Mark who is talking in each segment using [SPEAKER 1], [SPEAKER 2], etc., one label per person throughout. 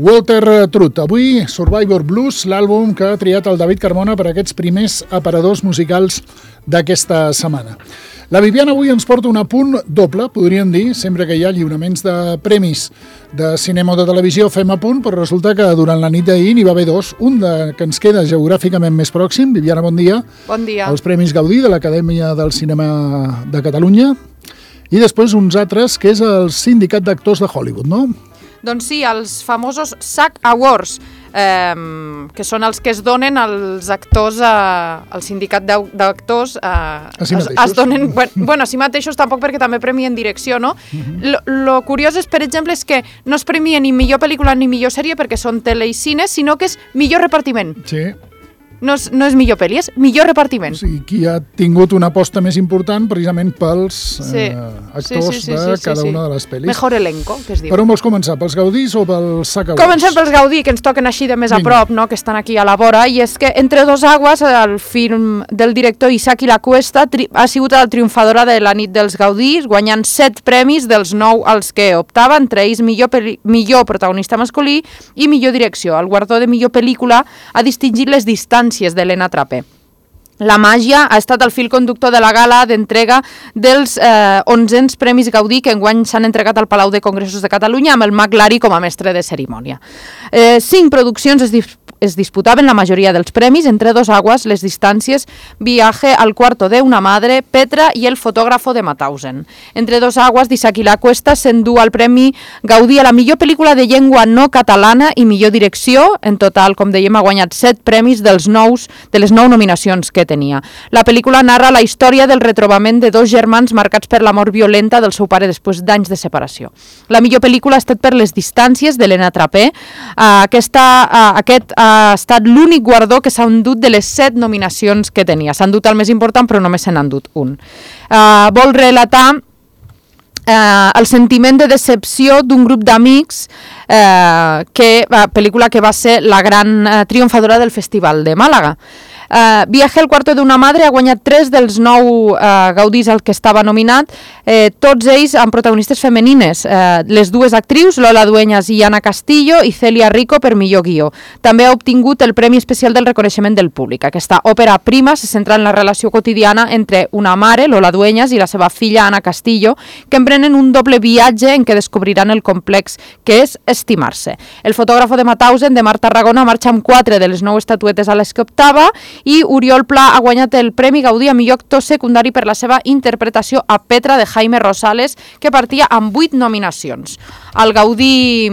[SPEAKER 1] Walter Truth, avui Survivor Blues, l'àlbum que ha triat el David Carmona per a aquests primers aparadors musicals d'aquesta setmana. La Viviana avui ens porta un apunt doble, podríem dir, sempre que hi ha lliuraments de premis de cinema o de televisió fem apunt, però resulta que durant la nit d'ahir n'hi va haver dos, un que ens queda geogràficament més pròxim. Viviana, bon dia.
[SPEAKER 2] Bon dia.
[SPEAKER 1] Els Premis Gaudí de l'Acadèmia del Cinema de Catalunya i després uns altres, que és el Sindicat d'Actors de Hollywood, no?
[SPEAKER 2] Doncs sí, els famosos SAG Awards, que són els que es donen als actors, al sindicat d'actors, es donen, bueno, a si mateixos tampoc, perquè també premien direcció, no? Lo curiós és, per exemple, és que no es premia ni millor pel·lícula ni millor sèrie perquè són tele i cine, sinó que és millor repartiment.
[SPEAKER 1] Sí.
[SPEAKER 2] No és millor pel·li, és millor repartiment.
[SPEAKER 1] O sigui, qui ha tingut una aposta més important precisament pels actors de cada una de les pel·lis.
[SPEAKER 2] Mejor elenco, que es diu.
[SPEAKER 1] Per on vols començar? Pels Gaudís o pels SAG Awards?
[SPEAKER 2] Comencem pels Gaudí, que ens toquen així de més a prop, no? Que estan aquí a la vora, i és que Entre dos aguas, el film del director Isaki Lacuesta, ha sigut la triomfadora de la nit dels Gaudís, guanyant 7 premis dels 9 als que optava, entre ells millor protagonista masculí i millor direcció. El guardó de millor pel·lícula ha distingit les distàncies d'Helena Trapé. La màgia ha estat el fil conductor de la gala d'entrega dels 11 Premis Gaudí que enguany s'han entregat al Palau de Congressos de Catalunya amb el Mag Lari com a mestre de cerimònia. 5 produccions es disputaven la majoria dels premis, Entre dos aguas, Les distàncies, Viaje al cuarto de una madre, Petra i El fotógrafo de Mauthausen. Entre dos aguas, d'Isaki Lacuesta s'endú el Premi Gaudí a la millor pel·lícula de llengua no catalana i millor direcció. En total, com dèiem, ha guanyat 7 premis de les 9 nominacions que tenia. La pel·lícula narra la història del retrobament de dos germans marcats per la mort violenta del seu pare després d'anys de separació. La millor pel·lícula ha estat per Les distàncies, d'Helena Trapé. Aquest ha estat l'únic guardó que s'ha endut de les 7 nominacions que tenia. S'ha endut el més important, però només se n'ha endut un. Vol relatar el sentiment de decepció d'un grup d'amics, pel·lícula que va ser la gran triomfadora del Festival de Màlaga. Viaje al cuarto de una madre ha guanyat 3 dels 9 Gaudís al que estava nominat, tots ells amb protagonistes femenines, les dues actrius, Lola Dueñas i Ana Castillo, i Celia Rico per millor guió. També ha obtingut el Premi Especial del Reconeixement del Públic. Aquesta òpera prima se centra en la relació quotidiana entre una mare, Lola Dueñas, i la seva filla, Ana Castillo, que emprenen un doble viatge en què descobriran el complex que és estimar-se. El fotògrafo de Mauthausen, de Marta Tarragona, marxa amb 4 de les 9 estatuetes a les que optava, i Oriol Pla ha guanyat el Premi Gaudí a millor actor secundari per la seva interpretació a Petra de Jaime Rosales, que partia amb 8 nominacions. El Gaudí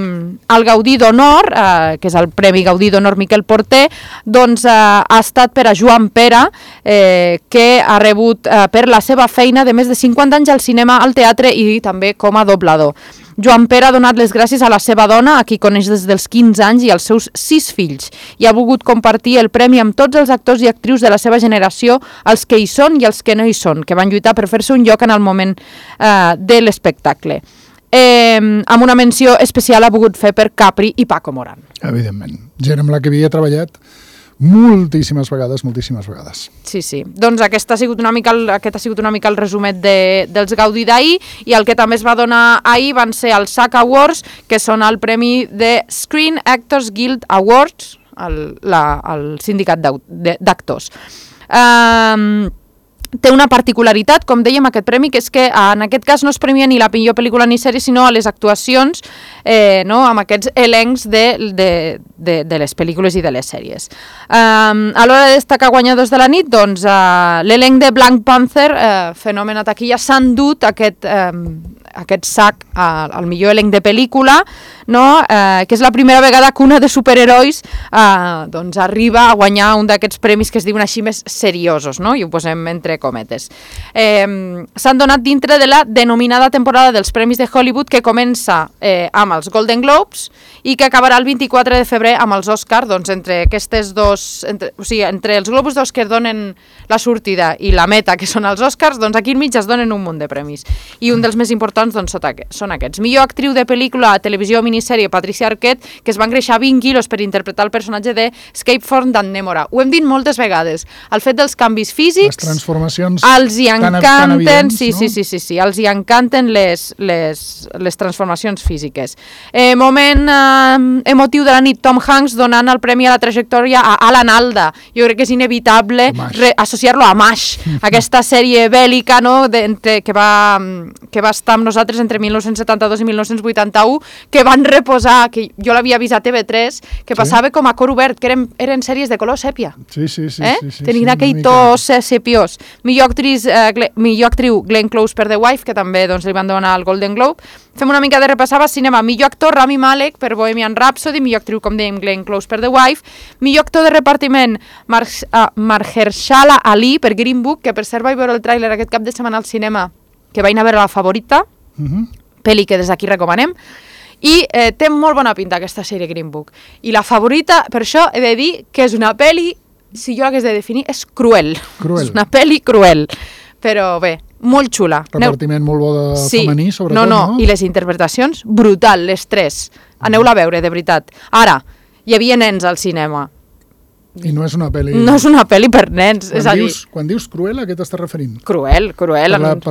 [SPEAKER 2] d'Honor, que és el Premi Gaudí d'Honor Miquel Porter, doncs ha estat per a Joan Pera, que ha rebut per la seva feina de més de 50 anys al cinema, al teatre i també com a doblador. Joan Pere ha donat les gràcies a la seva dona, a qui coneix des dels 15 anys, i als seus 6 fills, i ha volgut compartir el premi amb tots els actors i actrius de la seva generació, els que hi són i els que no hi són, que van lluitar per fer-se un lloc en el moment de l'espectacle. Amb una menció especial ha volgut fer per Capri i Paco Moran.
[SPEAKER 1] Evidentment, gent amb la que havia treballat moltíssimes vegades.
[SPEAKER 2] Sí. Doncs aquest ha sigut una mica el resumet dels Gaudí d'ahir, i el que també es va donar ahir van ser els SAG Awards, que són el premi de Screen Actors Guild Awards, el sindicat d'actors. Té una particularitat, com dèiem, aquest premi, que és que en aquest cas no es premia ni la millor pel·lícula ni sèrie, sinó a les actuacions, amb aquests elencs de les pel·lícules i de les sèries. A l'hora de destacar guanyadors de la nit, doncs l'elenc de Black Panther, fenomen a taquilla, s'ha endut aquest SAG al millor elenc de pel·lícula, que és la primera vegada que una de superherois arriba a guanyar un d'aquests premis que es diuen així més seriosos, i ho posem entre cometes. S'han donat dintre de la denominada temporada dels Premis de Hollywood, que comença amb els Golden Globes i que acabarà el 24 de febrer amb els Oscars. Doncs entre aquestes dos, entre els Globus d'Or que donen la sortida i la meta, que són els Oscars, doncs aquí enmig es donen un munt de premis. I un dels més importants nominacions doncs, són aquests. Millor actriu de pel·lícula, televisió o minissèrie, Patricia Arquette, que es va engreixar 20 quilos per interpretar el personatge de Escape from Dannemora. Ho hem dit moltes vegades. El fet dels canvis físics...
[SPEAKER 1] Les transformacions
[SPEAKER 2] els hi encanten,
[SPEAKER 1] tan evidents,
[SPEAKER 2] sí,
[SPEAKER 1] no?
[SPEAKER 2] sí, els hi encanten les transformacions físiques. Moment emotiu de la nit, Tom Hanks donant el premi a la trajectòria a Alan Alda. Jo crec que és inevitable associar-lo a MASH, aquesta sèrie bèl·lica, no? que va estar amb nosaltres entre 1972 i 1981, que van reposar, que jo l'havia vist a TV3, que passava com a cor obert, que eren sèries de color sèpia.
[SPEAKER 1] Sí.
[SPEAKER 2] Tenien aquell to sepiós. Millor actriu Glenn Close per The Wife, que també doncs, li van donar el Golden Globe. Fem una mica de repassar a cinema. Millor actor Rami Malek per Bohemian Rhapsody, millor actriu, com dèiem, Glenn Close per The Wife, millor actor de repartiment Mahershala Ali per Green Book, que per cert vaig veure el tràiler aquest cap de setmana al cinema, que vaig anar a veure La Favorita, pel·li que des d'aquí recomanem, i té molt bona pinta aquesta sèrie Green Book. I La Favorita, per això he de dir que és una pel·li, si jo l'hagués de definir, és cruel. És una pel·li cruel, però bé, molt xula.
[SPEAKER 1] Repartiment molt bo de femení, sobretot, no?
[SPEAKER 2] I les interpretacions, brutal, les tres. Aneu-la a veure, de veritat. Ara, hi havia nens al cinema.
[SPEAKER 1] I no és una pel·li...
[SPEAKER 2] No és una pel·li per nens, és a dir...
[SPEAKER 1] Quan dius cruel, a què t'estàs referint?
[SPEAKER 2] Cruel.
[SPEAKER 1] Per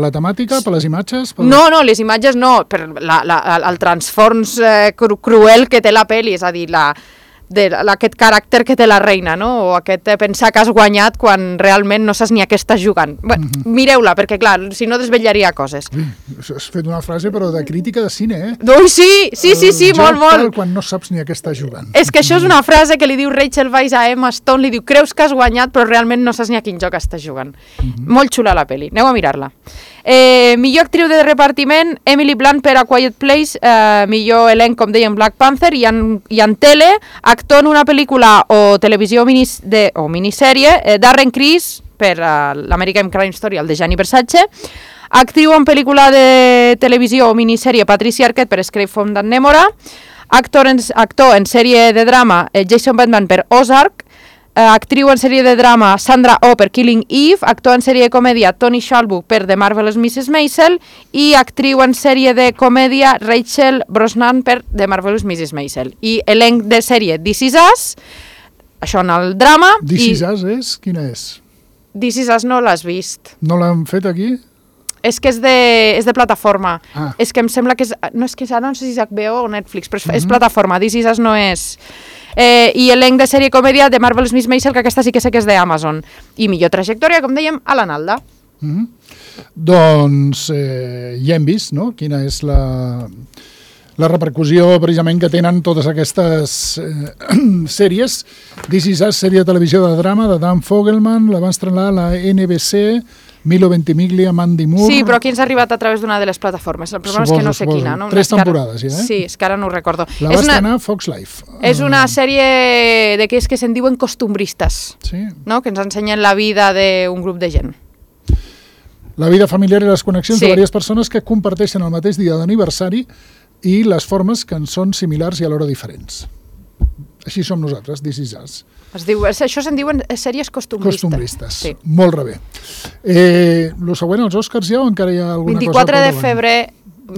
[SPEAKER 1] la temàtica, per les imatges?
[SPEAKER 2] No, les imatges no, per el transfons cruel que té la pel·li, és a dir, aquest caràcter que té la reina, no? O aquest pensar que has guanyat quan realment no saps ni a què estàs jugant. Mireu-la, perquè clar, si no desvetllaria coses.
[SPEAKER 1] Has fet una frase, però de crítica de cine, eh?
[SPEAKER 2] Ui, sí, molt.
[SPEAKER 1] Quan no saps ni a què estàs jugant.
[SPEAKER 2] És que això és una frase que li diu Rachel Weisz a Emma Stone, li diu, creus que has guanyat, però realment no saps ni a quin joc estàs jugant. Molt xula la pel·li, aneu a mirar-la. Millor actriu de repartiment, Emily Blunt per A Quiet Place, millor elenc, com dèiem, Black Panther, i en tele, actor en una pel·lícula o televisió o minissèrie, Darren Criss per l'American Crime Story, el de Gianni Versace, actriu en pel·lícula de televisió o minissèrie, Patricia Arquette per Escape from Dannemora, actor en sèrie de drama, Jason Bateman per Ozark, actriu en sèrie de drama Sandra Oh per Killing Eve, actor en sèrie de comèdia Tony Shalhoub per The Marvelous Mrs. Maisel i actriu en sèrie de comèdia Rachel Brosnahan per The Marvelous Mrs. Maisel. I elenc de sèrie This Is Us, això en el drama.
[SPEAKER 1] This Is Us és? Quina és?
[SPEAKER 2] This Is Us no l'has vist.
[SPEAKER 1] No l'han fet aquí?
[SPEAKER 2] És que és de plataforma. És que em sembla que és... No, és que ara no sé si és HBO o Netflix, però és plataforma. This Is Us no és... I elenc de sèrie comèdia de Marvelous Miss Maisel, que aquesta sí que sé que és d'Amazon. I millor trajectòria, com dèiem, Alan Alda.
[SPEAKER 1] Doncs ja hem vist, no?, quina és la repercussió precisament que tenen totes aquestes sèries. This Is Us, sèrie de televisió de drama de Dan Fogelman, la va estrenar la NBC, Milo Ventimiglia, Mandy Moore...
[SPEAKER 2] Sí, però aquí ens ha arribat a través d'una de les plataformes. El problema és que no sé quina. No?
[SPEAKER 1] 3 temporades, ja, eh?
[SPEAKER 2] Sí, és que ara no ho recordo.
[SPEAKER 1] La va estrenar Fox Life.
[SPEAKER 2] És una sèrie d'aquells que se'n diuen costumbristes, no? Que ens ensenyen la vida d'un grup de gent.
[SPEAKER 1] La vida familiar i les connexions de diverses persones que comparteixen el mateix dia d'aniversari i les formes que en són similars i alhora diferents. Així som nosaltres, This Is Us.
[SPEAKER 2] Això se'n diuen sèries costumbristes.
[SPEAKER 1] Costumbristes, sí. Molt bé. El següent, els Oscars ja, o encara hi ha alguna
[SPEAKER 2] 24 cosa? 24 de febrer,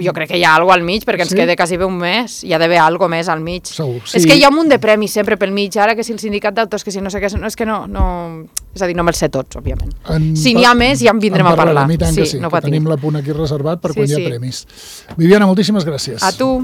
[SPEAKER 2] jo crec que hi ha alguna cosa al mig, perquè ens queda quasi bé un mes, hi ha d'haver alguna cosa més al mig.
[SPEAKER 1] Segur, sí.
[SPEAKER 2] És que hi ha un munt de premis sempre pel mig, ara que si el sindicat d'autors, que si no sé què, és que no... És a dir, no me'ls sé tots, òbviament. Si n'hi ha més, ja en vindrem a parlar.
[SPEAKER 1] Sí, no tenim l'apunt aquí reservat per quan hi ha premis. Viviana, moltíssimes gràcies.
[SPEAKER 2] A tu.